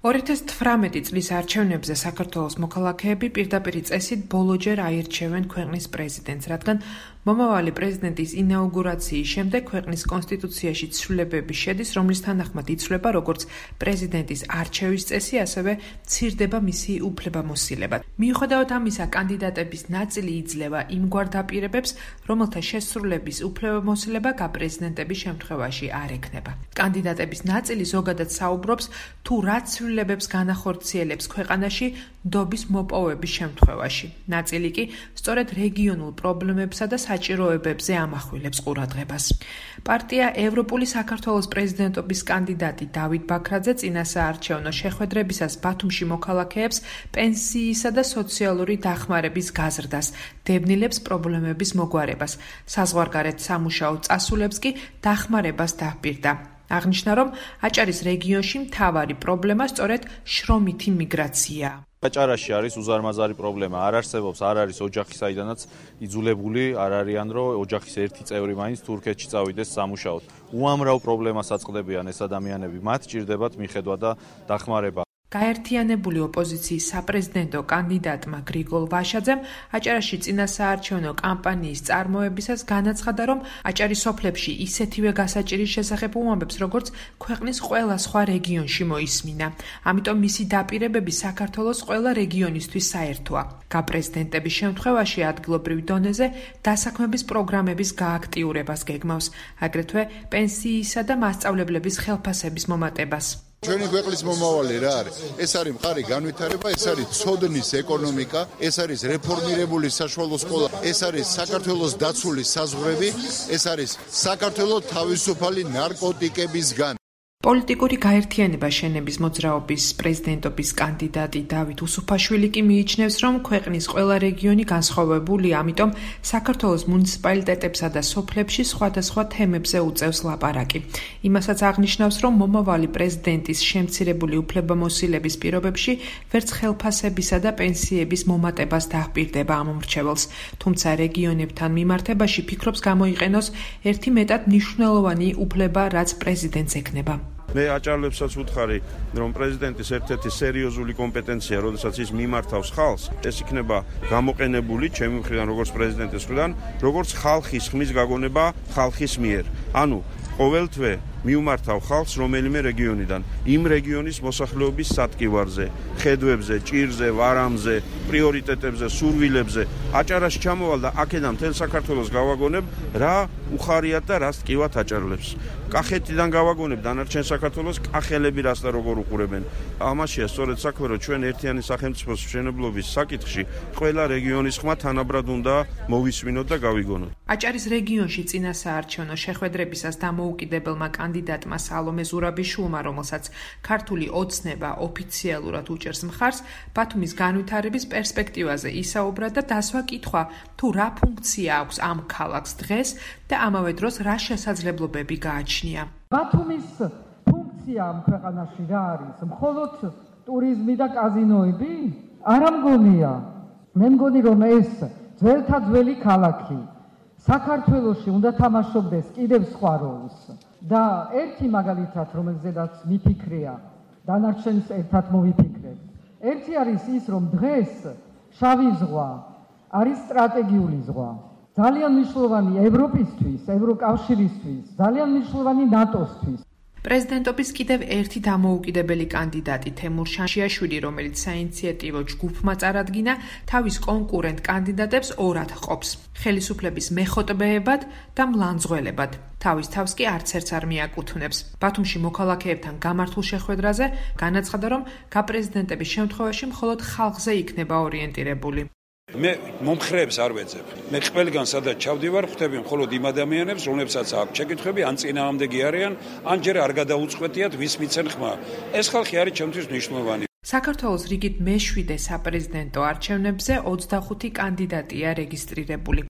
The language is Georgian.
2018 წლის არჩევნებზე საქართველოს მოქალაქეები პირდაპირ წესით ბოლოჯერ აირჩევენ ქვეყნის პრეზიდენტს, რადგან მომავალი პრეზიდენტის ინაუგურაციის შემდეგ ქვეყნის კონსტიტუციაში ცვლილებები შედის, რომლის თანახმად იცვლება როგორც პრეზიდენტის არჩევის წესი, ასევე მცირდება მისი უფლებამოსილება. მიუხედავად ამისა, კანდიდატების ნაწილი იძლევა იმგვარ დაპირებებს, რომელთა შესრულების უფლებამოსილება გაპრეზიდენტების შემთხვევაში არ ექნება. კანდიდატების ნაწილი ზოგადად საუბრობს თუ რა ცვლილებებს განახორციელებს ქვეყანაში ნდობის მოპოვების შემთხვევაში. ნაწილი კი სწორედ რეგიონულ პრობლემებსა და საჭიროებებზე ამახვილებს ყურადღებას. პარტია ევროპული საქართველოს პრეზიდენტობის კანდიდატი დავით ბაქრაძე წინასაარჩევნო შეხვედრებისას ბათუმში მოქალაქეებს პენსიისა და სოციალური დახმარების გაზრდას, დევნილებს პრობლემების მოგვარებას, საზღვარგარეთ სამუშაო წასულებს კი დახმარებას დაჰპირდა. აღნიშნა, რომ აჭარის რეგიონში მთავარი პრობლემა სწორედ შრომითი მიგრაციაა. აჭარაში არის უზარმაზარი პრობლემა, არ არსებობს, არ არის ოჯახი, საიდანაც იძულებული არ არიან, რომ ოჯახის ერთი წევრი მაინც თურქეთში წავიდეს სამუშაოდ. უამრავ პრობლემას აწყდებიან ეს ადამიანები, მათ ჭირდებათ მიხედვა და დახმარება. გაერთიანებული ოპოზიციის საპრეზიდენტო კანდიდატმა გრიგოლ ვაშაძემ აჭარაში წინასაარჩევნო კამპანიის წარმოებისას განაცხადა, რომ აჭარის სოფლებში ისეთივე გასაჭირის შესახებ უამბებს, როგორც ქვეყნის ყველა სხვა რეგიონში მოისმინა. ამიტომ მისი დაპირებები საქართველოს ყველა რეგიონისთვის საერთოა. გაპრეზიდენტების შემთხვევაში ადგილობრივ დონეზე დასაქმების პროგრამების გააქტიურებას გეგმავს, აგრეთვე პენსიისა და მასწავლებლების ხელფასების მომატებას. ჩვენი ქვეყნის მომავალი რა არის? ეს არის მყარი განვითარება, ეს არის ცოდნის ეკონომიკა, ეს არის რეფორმირებული საშუალო სკოლა, ეს არის საქართველოს დაცული საზღვრები, ეს არის საქართველოს თავისუფალი ნარკოტიკებისგან. პოლიტიკური გაერთიანება შენების მოძრაობის პრეზიდენტობის კანდიდატი დავით უსუფაშვილი კი მიიჩნევს, რომ ქვეყნის ყველა რეგიონი განსხვავებულია, ამიტომ საქართველოს მუნიციპალიტეტებსა და სოფლებში სხვადასხვა თემებზე უწევს ლაპარაკი. იმასაც აღნიშნავს, რომ მომავალი პრეზიდენტის შემცირებული უფლებამოსილების პირობებში ვერც ხელფასებისა და პენსიების მომატებას დაჰპირდება ამ მრჩეველს. თუმცა რეგიონებთან მიმართებაში ფიქრობს გამოიყენოს ერთი მეტად მნიშვნელოვანი უფლება, რაც პრეზიდენტს ექნება. მე აჭარლებსაც ვუთხარი, რომ პრეზიდენტის ერთ-ერთი სერიოზული კომპეტენცია, როდესაც ის მიმართავს ხალხს, ეს იქნება გამოყენებული ჩემი მხრიდან, როგორც პრეზიდენტის მხრიდან, როგორც ხალხის ხმის გაგონება ხალხის მიერ. ანუ ყოველთვე მიუმართავ ხალხს რომელიმე რეგიონიდან, იმ რეგიონის მოსახლეობის სატკივარზე, ხედვებზე, ჭირზე, ვარამზე, პრიორიტეტებზე, სურვილებზე. აჭარაში ჩამოვალ და აქედან მთელ საქართველოს გავაგონებ, რა უხარიათ და რას ტკივათ აჭარლებს. კახეთიდან გავაგონებ დანარჩენ საქართველოს კახელები რას და როგორ უყურებენ. ამაშია სწორედ საქმე, რომ ჩვენ ერთიანი სახელმწიფოს მშენებლობის საკითხში ყველა რეგიონის ხმა თანაბრად უნდა მოვისმინოთ და გავიგონოთ. აჭარის რეგიონში წინასაარჩევნო შეხვედრებისას დამოუკიდებელმა კანდიდატმა სალომე ზურაბიშვილმა, რომელსაც ქართული ოცნება ოფიციალურად უჭერს მხარს, ბათუმის განვითარების პერსპექტივაზე ისაუბრა და დასვა კითხვა, თუ რა ფუნქცია აქვს ამ ქალაქს დღეს და ამავე დროს რა შესაძლებლობები გააჩნია. ბათუმის ფუნქცია ამ ქვეყანაში რა არის? მხოლოდ ტურიზმი და კაზინოები? არა მგონია. მე მგონი, რომ ეს ძველთა ძველი ქალაქი საქართველოში უნდა თამაშობდეს კიდევ სხვა როლს. და ერთი მაგალითად, რომელზედაც მიფიქრია, დანარჩენს ერთად მოვიფიქრებთ. ერთი არის ის, რომ დღეს შავი ზღვა არის სტრატეგიული ზღვა. ძალიან მნიშვნელოვანი ევროპისთვის, ევროკავშირისთვის, ძალიან მნიშვნელოვანი ნატოსთვის. პრეზიდენტობის კიდევ ერთი დამოუკიდებელი კანდიდატი თემურ შანშიაშვილი, რომელიც საინიციატივო ჯგუფმა წარადგინა, თავის კონკურენტ კანდიდატებს ორად ჰყოფს: ხელისუფლების მეხოტბეებად და მლანძღველებად. თავის თავს კი არც ერთს არ მიაკუთვნებს. ბათუმში მოქალაქეებთან გამართულ შეხვედრაზე განაცხადა, რომ გაპრეზიდენტების შემთხვევაში მხოლოდ ხალხზე იქნება ორიენტირებული. მე მომხრეებს არ ვეძებ. მე ყველგან სადაც ჩავდივარ, ხვდები მხოლოდ იმ ადამიანებს, რომლებსაც აქვს შეკითხვები, ან წინააღმდეგი არიან, ან ჯერ არ გადაუწყვეტიათ ვის მიცენ ხმა. ეს ხალხი არის ჩემთვის მნიშვნელოვანი. საქართველოს რიგით მე-7 საპრეზიდენტო არჩევნებზე 25 კანდიდატია რეგისტრირებული.